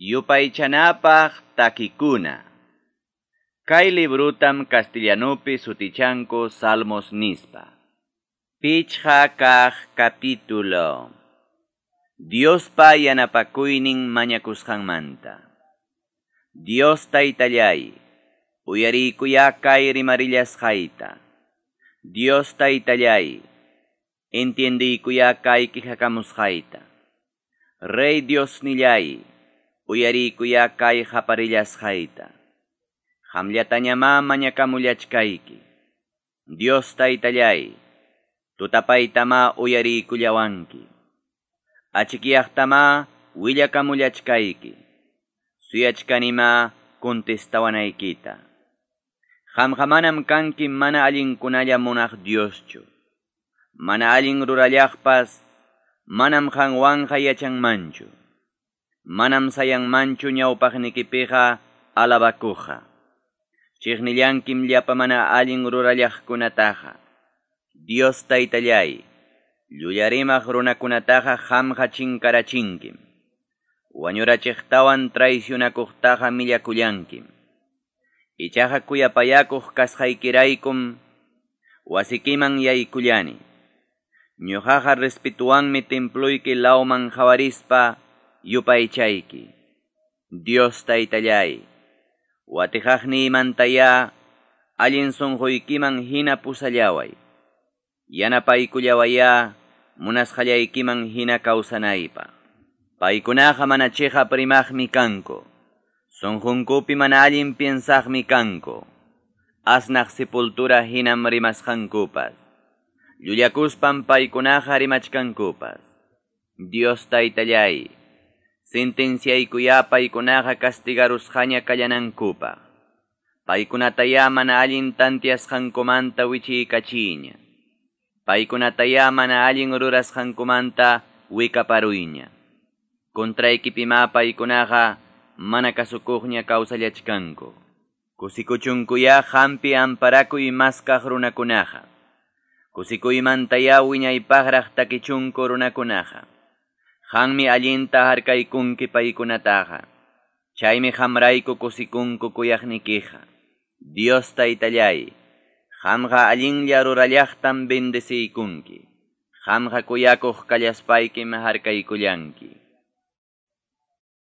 Yupaychanapaq takikuna. Kay librutam castellanupi sutichanku Salmos nispa. Pichqa kaq capítulo. Diospa yanapakuynin mañakusqanmanta. Dios Taytallay, uyariykuyá kay rimarillasqayta. Dios Taytallay, entiendiykuyá kay quejakamusqayta. Rey Diosnillay, uyariykuyá kay qaparillasqayta. Qamllatañamá mañakamullachkayki. Dios Taytallay, tutapaytamá uyariykullawanki. Achikyaqtamá willakamullachkayki. Suyachkanimá contestawanaykita. Qamqa manam kanki mana allinkunalla munaq Dioschu. Mana allin rurallaqpas manam qanwanqa yachanmanchu. Manam sayanmanchu ñawpaqnikipiqa alabakuqqa. Chiqnillankim llapa mana allin rurallaqkunataqa. Dios Taytallay, llullarimaq runakunataqa qamqa chinkarachinkim. Wañurachiqtawan traicionakuqtaqa millakullankim. Ichaqa kuyapayakuq kasqaykiraykum wasikiman yaykullani. Ñuqaqa respetuwanmi temployki lawman qawarispa yupaychayki. Dios Taytallay, watiqaqniymantayá allin sunquykiman hina pusallaway. Yanapaykullawayá munasqallaykiman hina kawsanaypaq. Paykunaqa mana chiqap rimaqmi kanku. Sunqunkupi mana allin piensaqmi kanku. Asnaq sepultura hinam rimasqankupas. Llullakuspan paykunaqa rimachkankupas. Dios Taytallay, sentenciaykuyá paykunaqa castigarusqaña kallanankupaq. Paykunatayá mana allin tantiasqankumanta wichiykachiyña. Paykunatayá mana allin rurasqankumanta wikaparuyña. Contraykipimá paykunaqa mana kasukuqña kawsallachkanku. Kusikuchunkuyá qampi amparakuy maskaq runakunaqa. Kusikuymantayá wiñaypaqraq takichunku runakunaqa. Qanmi allinta harkaykunki paykunataqa. Chaymi qamrayku kusikunku kuyaqnikiqa. Dios Taytallay, qamqa allinlla rurallaqtam bendeciykunki. Qamqa kuyakuq kallaspaykim harkaykullanki.